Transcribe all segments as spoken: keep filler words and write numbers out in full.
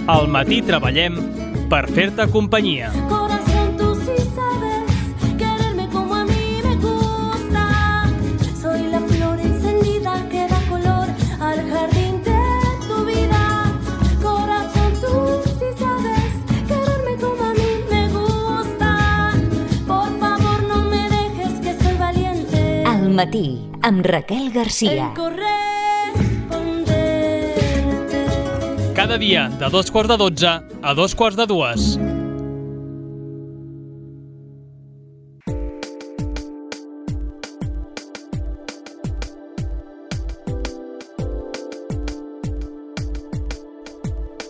Al matí treballem per fer-te companyia. Corazón, tú sí sabes quererme como a mí me gusta. Soy la flor encendida que da color al jardín de tu vida. Corazón, tú sí sabes quererme como a mí me gusta. Por favor, no me dejes que soy valiente. Al matí, amb Raquel Garcia. En corresponderte. Cada dia, de dos quarts de dotze a dos quarts de dues.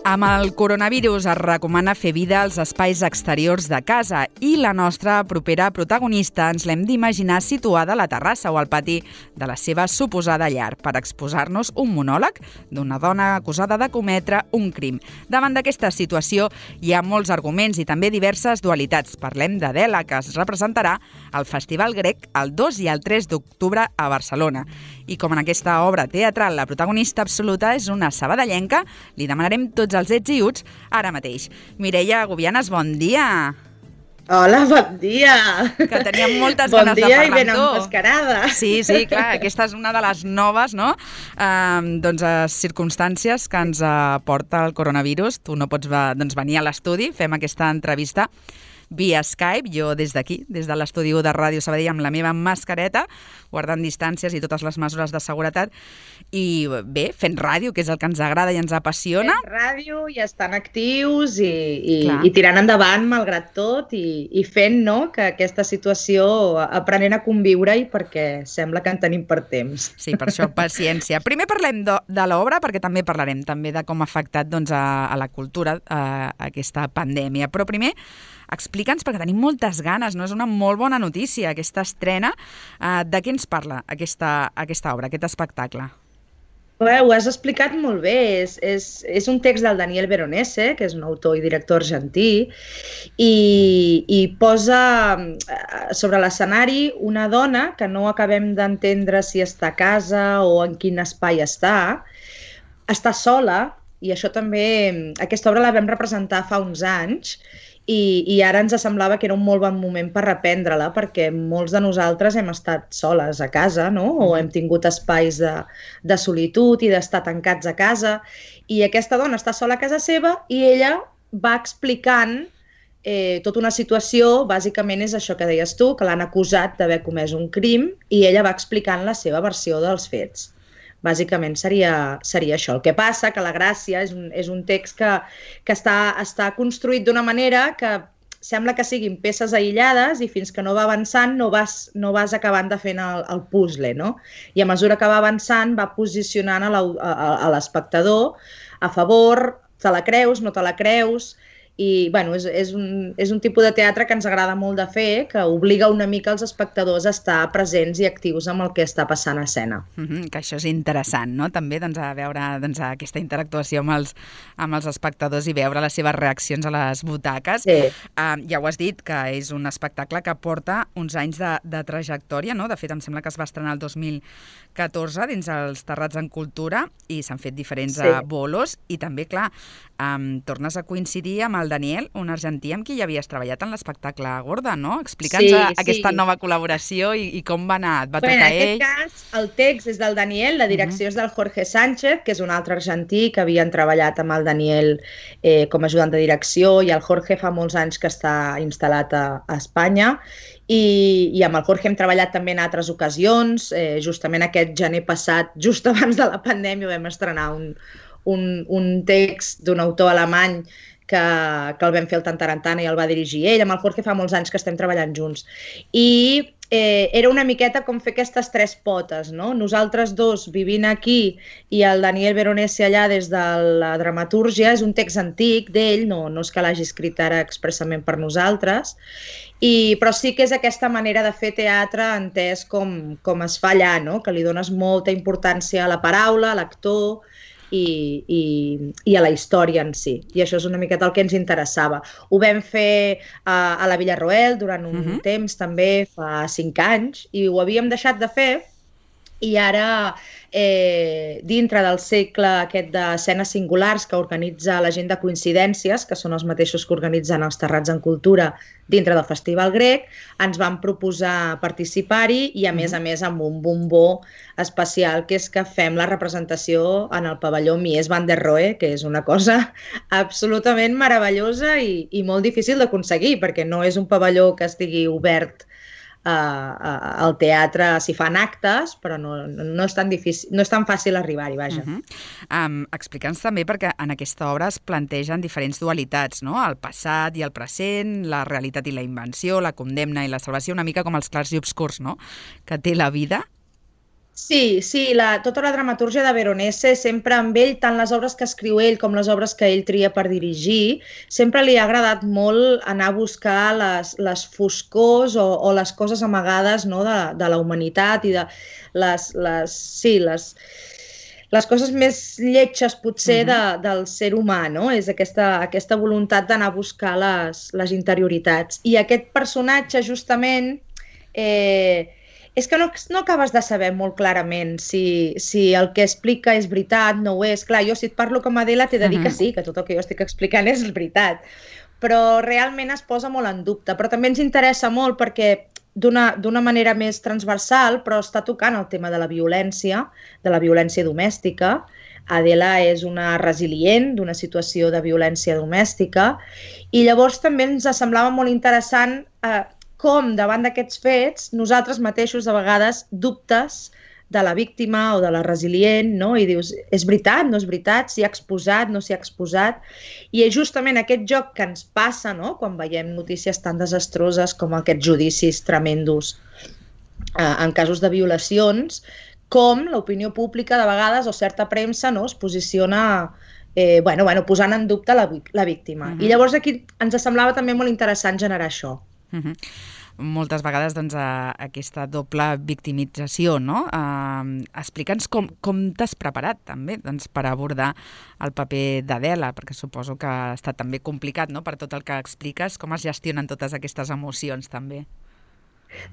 Amb el coronavirus es recomana fer vida als espais exteriors de casa i la nostra propera protagonista ens l'hem d'imaginar situada a la terrassa o al pati de la seva suposada llar per exposar-nos un monòleg d'una dona acusada de cometre un crim. Davant d'aquesta situació hi ha molts arguments i també diverses dualitats. Parlem d'Adela, que es representarà al Festival Grec el dos i el tres d'octubre a Barcelona. I com en aquesta obra teatral la protagonista absoluta és una sabadellenca, li demanarem tots els ets i uts ara mateix. Mireia Gubianes, bon dia! Hola, bon dia! Que teníem moltes bon ganes de dia parlar i ben amb tu. emmascarada. Sí, sí, clar, aquesta és una de les noves, no? Um, doncs, uh, circumstàncies que ens uh, porta el coronavirus. Tu no pots va, doncs, venir a l'estudi, fem aquesta entrevista via Skype, jo des d'aquí, des de l'estudi de Ràdio Sabadell amb la meva mascareta, guardant distàncies i totes les mesures de seguretat. I bé, fent ràdio, que és el que ens agrada i ens apassiona. Fent ràdio i estan actius i, i, Clar. i tirant endavant malgrat tot i, i fent, no?, que aquesta situació aprenent a conviure-hi perquè sembla que en tenim per temps. Sí, per això, paciència. Primer parlem de, de l'obra, perquè també parlarem també de com ha afectat doncs, a, a la cultura a, a aquesta pandèmia. Però primer, explica'ns, perquè tenim moltes ganes, no? És una molt bona notícia, aquesta estrena. Uh, de què ens parla aquesta, aquesta obra, aquest espectacle? Bé, ho has explicat molt bé. És, és, és un text del Daniel Veronese, que és un autor i director argentí, i, i posa sobre l'escenari una dona que no acabem d'entendre si està a casa o en quin espai està. Està sola, i això també, aquesta obra la vam representar fa uns anys, I, i ara ens semblava que era un molt bon moment per reprendre-la, perquè molts de nosaltres hem estat soles a casa, no? O hem tingut espais de, de solitud i d'estar tancats a casa, i aquesta dona està sola a casa seva i ella va explicant eh, tota una situació. Bàsicament és això que deies tu, que l'han acusat d'haver comès un crim, i ella va explicant la seva versió dels fets. Bàsicament seria, seria això. El que passa que la gràcia és un, és un text que, que està, està construït d'una manera que sembla que siguin peces aïllades i fins que no va avançant no vas, no vas acabant de fer el, el puzzle, no? I a mesura que va avançant va posicionant a l'espectador a favor, te la creus, no te la creus. I bueno, és, és, un, és un tipus de teatre que ens agrada molt de fer, que obliga una mica els espectadors a estar presents i actius amb el que està passant a escena. Mm-hmm, que això és interessant, no? També doncs, a veure doncs, aquesta interactuació amb els, amb els espectadors i veure les seves reaccions a les butaques. Sí. Uh, ja ho has dit, que és un espectacle que porta uns anys de, de trajectòria, no? De fet, em sembla que es va estrenar el dos mil catorze dins els Terrats en Cultura i s'han fet diferents sí. bolos i també, clar, um, tornes a coincidir amb el Daniel, un argentí amb qui ja havies treballat en l'espectacle Gorda, no? Explica'ns sí, aquesta sí. nova col·laboració i, i com va anar, et va bueno, tocar ell? En aquest cas, el text és del Daniel, la direcció uh-huh. és del Jorge Sánchez, que és un altre argentí que havien treballat amb el Daniel eh, com a ajudant de direcció, i el Jorge fa molts anys que està instal·lat a, a Espanya, i, i amb el Jorge hem treballat també en altres ocasions. Eh, justament aquest gener passat, just abans de la pandèmia, vam estrenar un, un, un text d'un autor alemany que, que el vam fer el Tantarantana i el va dirigir ell. Amb el Jorge fa molts anys que estem treballant junts. I eh, era una miqueta com fer aquestes tres potes, no? Nosaltres dos vivint aquí i el Daniel Veronese allà des de la dramatúrgia. És un text antic d'ell, no, no és que l'hagi escrit ara expressament per nosaltres, i, però sí que és aquesta manera de fer teatre entès com, com es fa allà, no? Que li dones molta importància a la paraula, a l'actor, I, i, i a la història en si. I això és una miqueta el que ens interessava. Ho vam fer a, a la Villarroel durant un uh-huh. temps també, fa cinc anys, i ho havíem deixat de fer i ara, eh, dintre del cicle aquest d'escenes singulars que organitza la gent de Coincidències, que són els mateixos que organitzen els Terrats en Cultura dintre del Festival Grec, ens van proposar participar-hi i, a més a més, amb un bombó especial, que és que fem la representació en el pavelló Mies van der Rohe, que és una cosa absolutament meravellosa i, i molt difícil d'aconseguir, perquè no és un pavelló que estigui obert Uh, uh, al teatre s'hi fan actes, però no, no, és tan difícil, no és tan fàcil arribar-hi, vaja. Uh-huh. um, Explica'ns també, perquè en aquesta obra es plantegen diferents dualitats, no? El passat i el present, la realitat i la invenció, la condemna i la salvació, una mica com els clars i obscurs, no?, que té la vida. Sí, sí, la, tota la dramatúrgia de Veronese, sempre amb ell, tant les obres que escriu ell com les obres que ell tria per dirigir, sempre li ha agradat molt anar a buscar les, les foscors o, o les coses amagades, no?, de, de la humanitat i de les, les, sí, les, les coses més lletges, potser, uh-huh. de, del ser humà, no? És aquesta, aquesta voluntat d'anar a buscar les, les interioritats. I aquest personatge, justament, eh, és que no, no acabes de saber molt clarament si, si el que explica és veritat, no ho és. Clar, jo si et parlo com a Adela t'he de dir que sí, que tot el que jo estic explicant és veritat, però realment es posa molt en dubte. Però també ens interessa molt perquè d'una d'una manera més transversal, però està tocant el tema de la violència, de la violència domèstica. Adela és una resilient d'una situació de violència domèstica i llavors també ens semblava molt interessant eh, com davant d'aquests fets nosaltres mateixos de vegades dubtes de la víctima o de la resilient, no? I dius, és veritat, no és veritat, s'hi ha exposat, no s'hi ha exposat, i és justament aquest joc que ens passa, no?, quan veiem notícies tan desastroses com aquests judicis tremendos eh, en casos de violacions, com l'opinió pública de vegades o certa premsa, no?, es posiciona eh, bueno, bueno, posant en dubte la, la víctima. Uh-huh. I llavors aquí ens semblava també molt interessant generar això. Uh-huh. Moltes vegades doncs, a, aquesta doble victimització, no? Uh, Explica'ns com, com t'has preparat també doncs, per abordar el paper d'Adela, perquè suposo que ha estat també complicat, no?, per tot el que expliques, com es gestionen totes aquestes emocions també.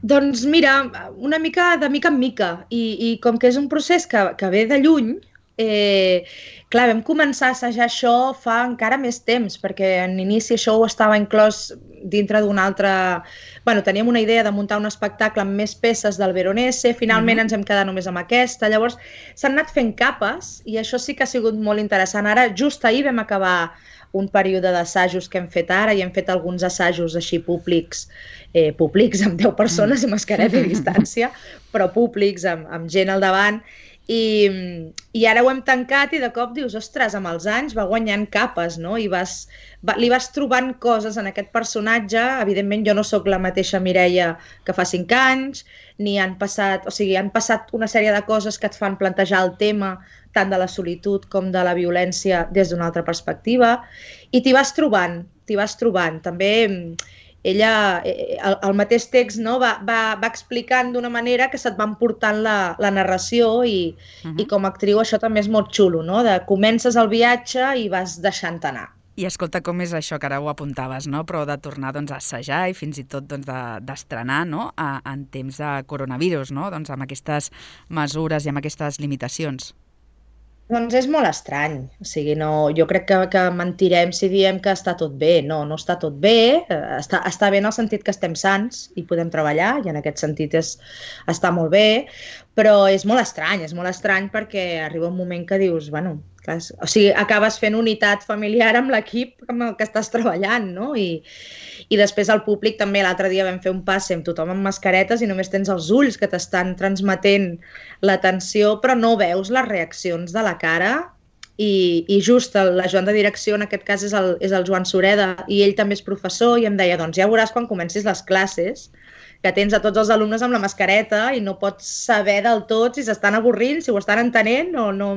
Doncs mira, una mica de mica en mica, i, i com que és un procés que, que ve de lluny, Eh, clar, vam començar a assajar això fa encara més temps, perquè en inici això ho estava inclòs dintre d'un altre... Bueno, teníem una idea de muntar un espectacle amb més peces del Veronese, finalment mm-hmm. ens hem quedat només amb aquesta, llavors s'han anat fent capes i això sí que ha sigut molt interessant. Ara, just ahir vam acabar un període d'assajos que hem fet ara i hem fet alguns assajos així públics, eh, públics amb deu persones i mascareta i distància, però públics amb, amb gent al davant. I, i ara ho hem tancat i de cop dius, ostres, amb els anys va guanyant capes, no? I vas, va, li vas trobant coses en aquest personatge. Evidentment jo no sóc la mateixa Mireia que fa cinc anys, ni han passat, o sigui, han passat una sèrie de coses que et fan plantejar el tema tant de la solitud com de la violència des d'una altra perspectiva, i t'hi vas trobant, t'hi vas trobant. També ella, el, el mateix text, no, va, va, va explicant d'una manera que se't va emportant la, la narració i, uh-huh. i com a actriu això també és molt xulo, no? De comences el viatge i vas deixant anar. I escolta, com és això que ara ho apuntaves, no? Però de tornar doncs, a assajar i fins i tot doncs, d'estrenar, no? A, en temps de coronavirus, no? Doncs, amb aquestes mesures i amb aquestes limitacions. Doncs és molt estrany, o sigui, no, jo crec que, que mentirem si diem que està tot bé. No, no està tot bé, està, està bé en el sentit que estem sants i podem treballar, i en aquest sentit és, està molt bé, però és molt estrany, és molt estrany perquè arriba un moment que dius, bueno, clar, o sigui, acabes fent unitat familiar amb l'equip amb el que estàs treballant, no? I, i després el públic també, l'altre dia vam fer un passe amb tothom amb mascaretes i només tens els ulls que t'estan transmetent l'atenció, però no veus les reaccions de la cara. I, i just el, la Joan de direcció, en aquest cas és el, és el Joan Sureda, i ell també és professor, i em deia, doncs ja veuràs quan comencis les classes, que tens a tots els alumnes amb la mascareta i no pots saber del tot si s'estan avorrint, si ho estan entenent o no...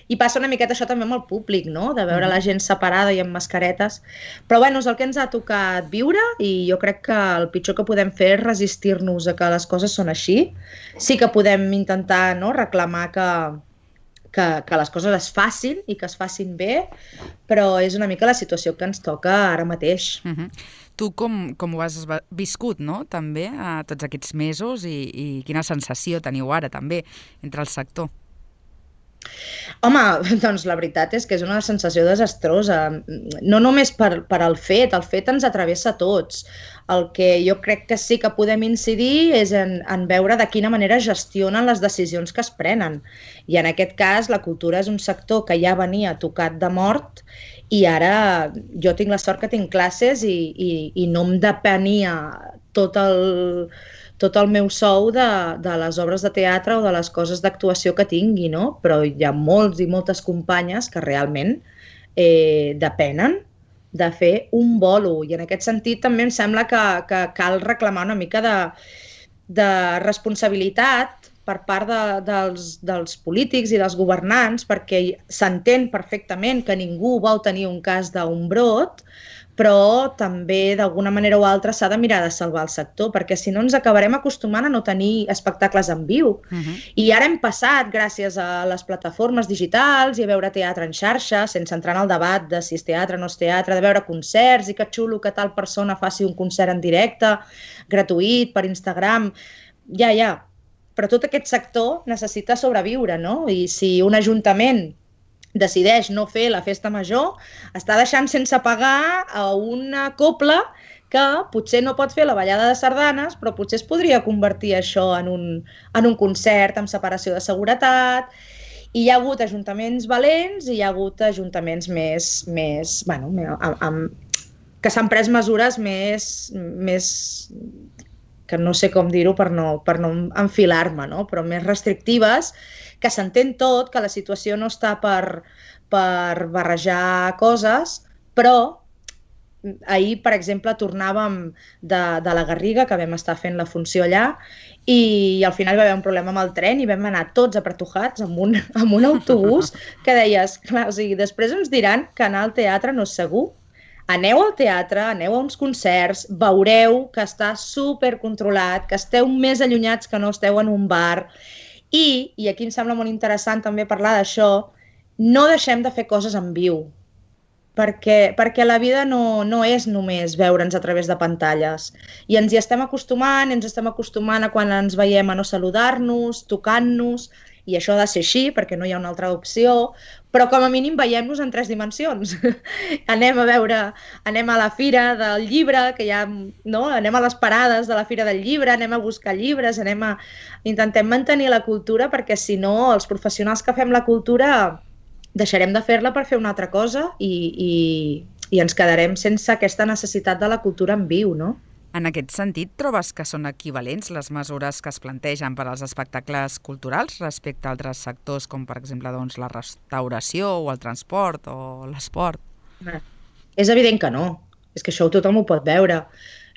I passa una miqueta això també amb el públic, no? De veure la gent separada i amb mascaretes. Però bueno, és el que ens ha tocat viure i jo crec que el pitjor que podem fer és resistir-nos a que les coses són així. Sí que podem intentar, no?, reclamar que, que, que les coses es facin i que es facin bé, però és una mica la situació que ens toca ara mateix. Uh-huh. Tu com, com ho has viscut, no?, també, a tots aquests mesos i, i quina sensació teniu ara, també, entre el sector? Home, doncs la veritat és que és una sensació desastrosa. No només per, per al fet, el fet ens atravessa a tots. El que jo crec que sí que podem incidir és en, en veure de quina manera gestionen les decisions que es prenen. I en aquest cas la cultura és un sector que ja venia tocat de mort i ara jo tinc la sort que tinc classes i, i, i no em depenia tot el... tot el meu sou de, de les obres de teatre o de les coses d'actuació que tingui, no? Però hi ha molts i moltes companyes que realment eh, depenen de fer un bolo. I en aquest sentit també em sembla que, que cal reclamar una mica de, de responsabilitat per part de, dels, dels polítics i dels governants, perquè s'entén perfectament que ningú vol tenir un cas d'un brot, però també d'alguna manera o altra s'ha de mirar de salvar el sector, perquè si no ens acabarem acostumant a no tenir espectacles en viu. Uh-huh. I ara hem passat, gràcies a les plataformes digitals i a veure teatre en xarxa, sense entrar en el debat de si és teatre o no és teatre, de veure concerts i que xulo que tal persona faci un concert en directe, gratuït, per Instagram. Ja, ja. Però tot aquest sector necessita sobreviure, no? I si un ajuntament decideix no fer la festa major, està deixant sense pagar a una cobla que potser no pot fer la ballada de sardanes, però potser es podria convertir això en un, en un concert amb separació de seguretat. I hi ha hagut ajuntaments valents i hi ha hagut ajuntaments més, més bueno, amb, amb, que s'han pres mesures més, més que no sé com dir-ho per no, per no enfilar-me, no? Però més restrictives, que s'entén tot, que la situació no està per, per barrejar coses, però ahir, per exemple, tornàvem de, de la Garriga, que vam estar fent la funció allà, i al final hi va haver un problema amb el tren i vam anar tots apretujats amb un, amb un autobús que deies, clar, o sigui, després ens diran que anar al teatre no és segur. Aneu al teatre, aneu a uns concerts, veureu que està supercontrolat, que esteu més allunyats que no esteu en un bar. I, i aquí em sembla molt interessant també parlar d'això, no deixem de fer coses en viu, perquè, perquè la vida no, no és només veure'ns a través de pantalles. I ens hi estem acostumant, ens estem acostumant a quan ens veiem a no saludar-nos, tocant-nos, i això ha de ser així perquè no hi ha una altra opció, però com a mínim veiem-nos en tres dimensions. Anem a veure, anem a la fira del llibre, que hi ha, no? Anem a les parades de la fira del llibre, anem a buscar llibres, anem a... intentem mantenir la cultura perquè si no els professionals que fem la cultura deixarem de fer-la per fer una altra cosa i, i, i ens quedarem sense aquesta necessitat de la cultura en viu, no? En aquest sentit, trobes que són equivalents les mesures que es plantegen per als espectacles culturals respecte a altres sectors com, per exemple, doncs, la restauració o el transport o l'esport? És evident que no. És que això tothom ho pot veure.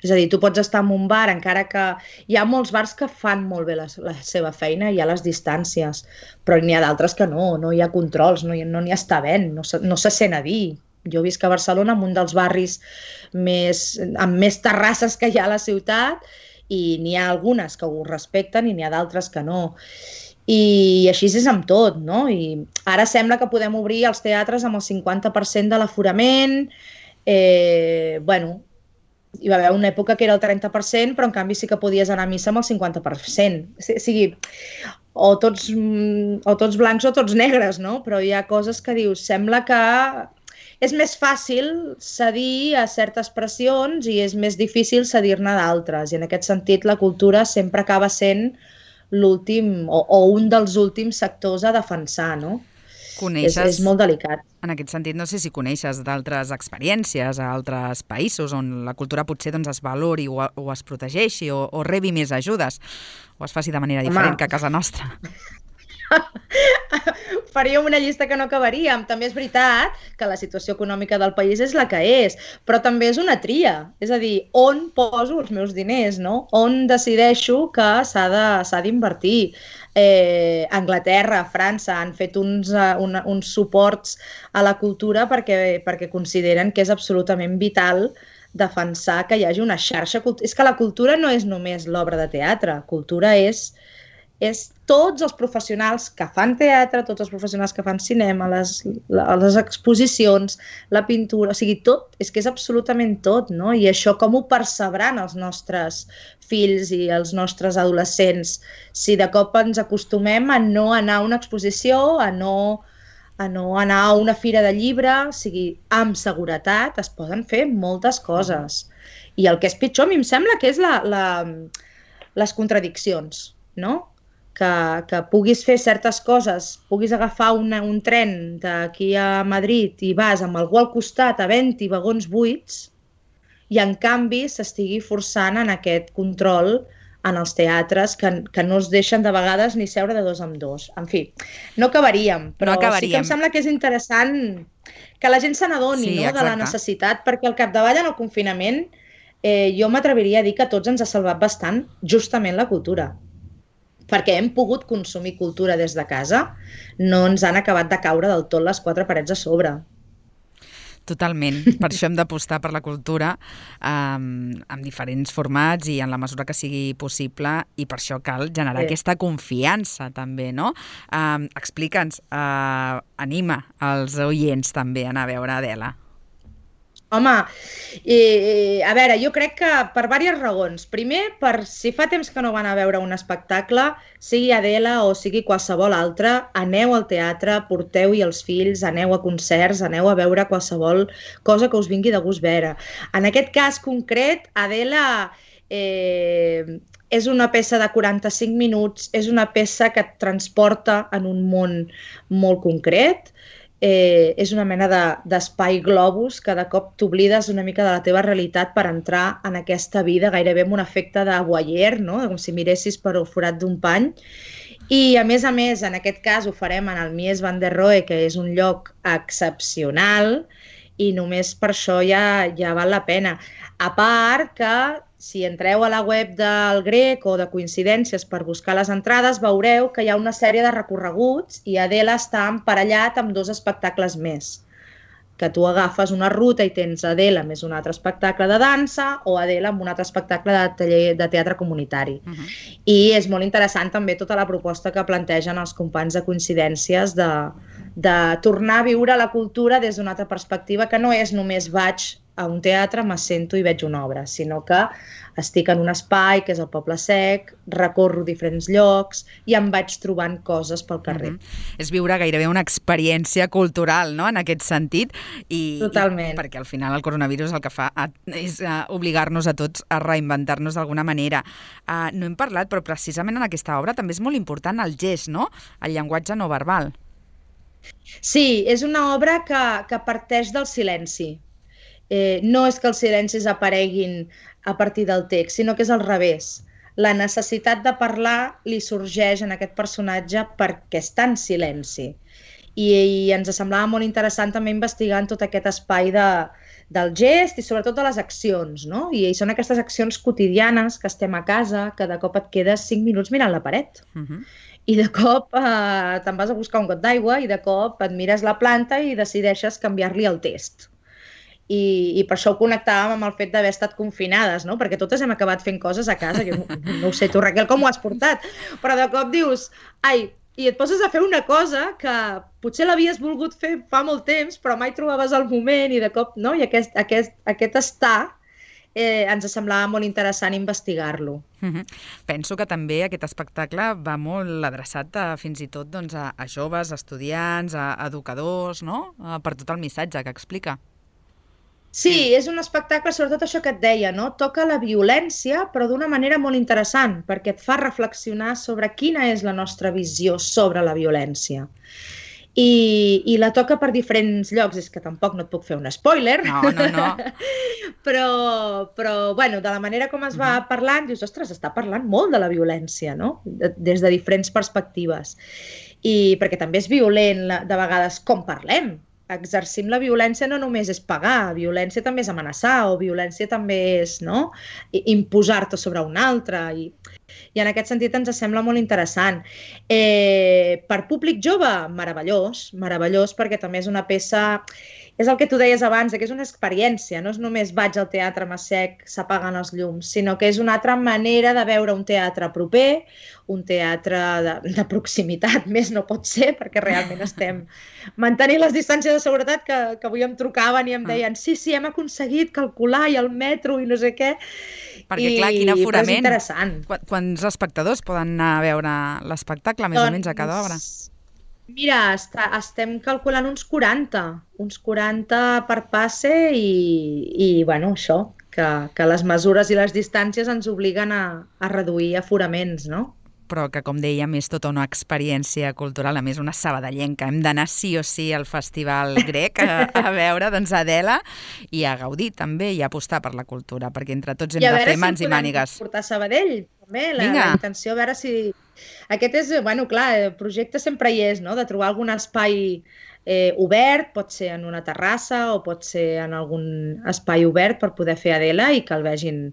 És a dir, tu pots estar en un bar, encara que hi ha molts bars que fan molt bé la, la seva feina, hi ha les distàncies, però n'hi ha d'altres que no, no hi ha controls, no, no n'hi està vent, no, no se sent a dir. Jo visc a Barcelona, en un dels barris més, amb més terrasses que hi ha a la ciutat, i n'hi ha algunes que ho respecten i n'hi ha d'altres que no. I així és amb tot, no? I ara sembla que podem obrir els teatres amb el cinquanta per cent de l'aforament. Eh, bueno, hi va haver una època que era el trenta per cent, però en canvi sí que podies anar a missa amb el cinquanta per cent. O sigui, o tots, o tots blancs o tots negres, no? Però hi ha coses que dius, sembla que és més fàcil cedir a certes pressions i és més difícil cedir-ne d'altres. I en aquest sentit la cultura sempre acaba sent l'últim o, o un dels últims sectors a defensar, no? Coneixes, és, és molt delicat. En aquest sentit, no sé si coneixes d'altres experiències a altres països on la cultura potser doncs, es valori o, o es protegeixi o, o rebi més ajudes o es faci de manera diferent Home. que a casa nostra. Faríem una llista que no acabaríem. També és veritat que la situació econòmica del país és la que és, però també és una tria. És a dir, on poso els meus diners, no? On decideixo que s'ha d'invertir. Eh, Anglaterra, França han fet uns, uh, un, uns suports a la cultura perquè, perquè consideren que és absolutament vital defensar que hi hagi una xarxa. És que la cultura no és només l'obra de teatre, cultura és és tots els professionals que fan teatre, tots els professionals que fan cinema, les, les exposicions, la pintura, o sigui, tot, és que és absolutament tot, no? I això com ho percebran els nostres fills i els nostres adolescents si de cop ens acostumem a no anar a una exposició, a no, a no anar a una fira de llibre, o sigui, amb seguretat es poden fer moltes coses. I el que és pitjor, a mi em sembla que és la, la, les contradiccions, no? Que, que puguis fer certes coses, puguis agafar una, un tren d'aquí a Madrid i vas amb algú al costat a vint vagons buits i en canvi s'estigui forçant en aquest control en els teatres que, que no es deixen de vegades ni seure de dos en dos. En fi, no acabaríem, però no acabaríem. Sí que em sembla que és interessant que la gent se n'adoni, sí, no, de la necessitat, perquè al capdavall en el confinament eh, jo m'atreviria a dir que a tots ens ha salvat bastant justament la cultura. Perquè hem pogut consumir cultura des de casa, no ens han acabat de caure del tot les quatre parets a sobre. Totalment. Per això hem d'apostar per la cultura um, en diferents formats i en la mesura que sigui possible, i per això cal generar sí. aquesta confiança també, no? Um, Explica'ns, uh, anima els oients també a anar a veure Adela. Home, eh, a veure, jo crec que per diverses raons. Primer, per si fa temps que no van a veure un espectacle, sigui Adela o sigui qualsevol altre, aneu al teatre, porteu-hi els fills, aneu a concerts, aneu a veure qualsevol cosa que us vingui de gust veure. En aquest cas concret, Adela eh, és una peça de quaranta-cinc minuts, és una peça que et transporta en un món molt concret. Eh, és una mena d'espai de, globus que de cop t'oblides una mica de la teva realitat per entrar en aquesta vida gairebé amb un efecte de voyeur, no? Com si miressis per el forat d'un pany. I a més a més, en aquest cas ho farem en el Mies van der Rohe, que és un lloc excepcional i només per això ja, ja val la pena. A part que si entreu a la web del Grec o de Coincidències per buscar les entrades, veureu que hi ha una sèrie de recorreguts i Adela està emparellat amb dos espectacles més. Que tu agafes una ruta i tens Adela més un altre espectacle de dansa o Adela amb un altre espectacle de, taller, de teatre comunitari. Uh-huh. I és molt interessant també tota la proposta que plantegen els companys de Coincidències de, de tornar a viure la cultura des d'una altra perspectiva, que no és només vaig a un teatre, m'assento i veig una obra, sinó que estic en un espai, que és el Poble Sec, recorro diferents llocs i em vaig trobant coses pel carrer. Mm-hmm. És viure gairebé una experiència cultural, no?, en aquest sentit. I, Totalment. I perquè al final el coronavirus el que fa és uh, obligar-nos a tots a reinventar-nos d'alguna manera. Uh, no hem parlat, però precisament en aquesta obra també és molt important el gest, no?, el llenguatge no verbal. Sí, és una obra que, que parteix del silenci. Eh, no és que els silencis apareguin a partir del text, sinó que és al revés. La necessitat de parlar li sorgeix en aquest personatge perquè està en silenci. I, i ens semblava molt interessant també investigar tot aquest espai de, del gest i sobretot de les accions, no? I, i són aquestes accions quotidianes que estem a casa, que de cop et quedes cinc minuts mirant la paret. Uh-huh. I de cop eh, te'n vas a buscar un got d'aigua i de cop et mires la planta i decideixes canviar-li el test. I, i per això ho connectàvem amb el fet d'haver estat confinades, no? Perquè totes hem acabat fent coses a casa, que no, no ho sé tu, Raquel, com ho has portat, però de cop dius, ai, i et poses a fer una cosa que potser l'havies volgut fer fa molt temps, però mai trobaves el moment i de cop, no? I aquest, aquest, aquest estar eh, ens semblava molt interessant investigar-lo. Mm-hmm. Penso que també aquest espectacle va molt adreçat a, fins i tot doncs, a, a joves, a estudiants, a educadors, no? Per tot el missatge que explica. Sí, és un espectacle, sobretot això que et deia, no? Toca la violència, però d'una manera molt interessant, perquè et fa reflexionar sobre quina és la nostra visió sobre la violència. I, i la toca per diferents llocs, és que tampoc no et puc fer un spoiler. No, no, no. però, però, bueno, de la manera com es va uh-huh. parlant, dius, ostres, està parlant molt de la violència, no? De, des de diferents perspectives. I perquè també és violent, de vegades, com parlem. Exercim la violència no només és pagar, violència també és amenaçar, o violència també és, no?, imposar-te sobre un altre. I i en aquest sentit ens sembla molt interessant. Eh, per públic jove, meravellós, meravellós, perquè també és una peça... És el que tu deies abans, que és una experiència, no és només vaig al teatre Massec, s'apaguen els llums, sinó que és una altra manera de veure un teatre proper, un teatre de, de proximitat, més no pot ser, perquè realment estem mantenint les distàncies de seguretat que, que avui em trucaven i em deien sí, sí, hem aconseguit calcular i el metro i no sé què. Perquè, I, clar, quin aforament. és interessant. Quants espectadors poden anar a veure l'espectacle, més doncs, o menys, a cada obra? Mira, està, estem calculant uns quaranta, uns quaranta per passe i, i bueno, això, que, que les mesures i les distàncies ens obliguen a, a reduir aforaments, no? Però que, com dèiem, és tota una experiència cultural, a més una sabadellenca. Hem d'anar sí o sí al Festival Grec a, a veure, doncs, Adela, i a gaudir també i a apostar per la cultura, perquè entre tots hem de fer si mans i mànigues. I a veure si portar Sabadell, també, la, la intenció, a veure si... Aquest és, bueno, clar, el projecte sempre hi és, no?, de trobar algun espai eh, obert, pot ser en una terrassa o pot ser en algun espai obert per poder fer Adela i que el vegin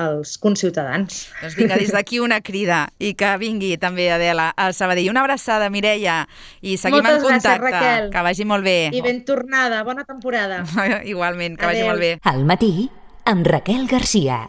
els conciutadans. Doncs vinga, des d'aquí una crida i que vingui també Adela a Sabadell. Una abraçada, Mireia, i seguim Moltes en contacte. Gràcies, Raquel. Que vagi molt bé. I ben tornada, bona temporada. Igualment, que Adeu. vagi molt bé. Al matí, amb Raquel Garcia.